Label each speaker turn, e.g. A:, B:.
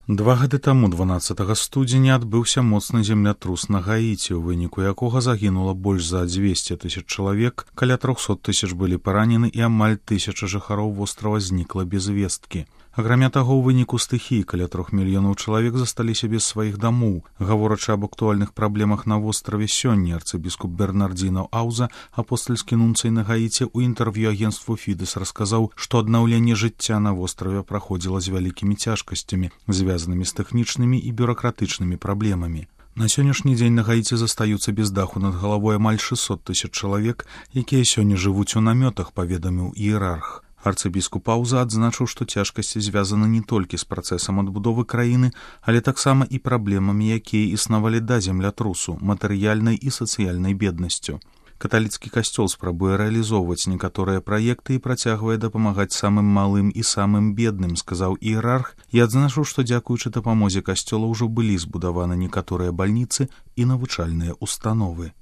A: 2 гады таму 12 студзеня адбыўся моцны землятрус на Гаіці, у выніку якога загінула больш за 200 тысяч чалавек, каля 300 тысяч былі паранены і амаль 1000 жыхароў вострава знікла без весткі. Акрамя таго, у выніку стыхіі каля 3 мільёнаў чалавек засталіся без сваіх дамоў. Гаворачы аб актуальных праблемах на востраве сёння, арцыбіскуп Бернардзіно Ауза, апостальскі нунцый на Гаіці, у інтэрв'ю агенству Фідэс расказаў, што аднаўленне жыцця на востраве праходзіла з вялікімі цяжкасцямі, звязанымі з тэхнічнымі і бюракратычнымі праблемамі. На сённяшні дзень на Гаіці застаюцца без даху над галавой амаль 600 тысяч чалавек, якія сёння жывуць у намётах, паведаміў іерарх. Арцыбіскуп Ауза адзначыў, што цяжкасці звязаны не толькі з працэсам адбудовы краіны, але таксама і праблемамі, якія існавалі да землятрусу, матэрыяльнай і сацыяльнай беднасцю. Каталіцкі касцёл спрабуе рэалізоўваць некаторыя праекты і працягвае дапамагаць самым малым і самым бедным, сказаў іерарх, і адзначыў, што дзякуючы дапамозе касцёла ўжо былі збудаваны некаторыя бальніцы і навучальныя установы.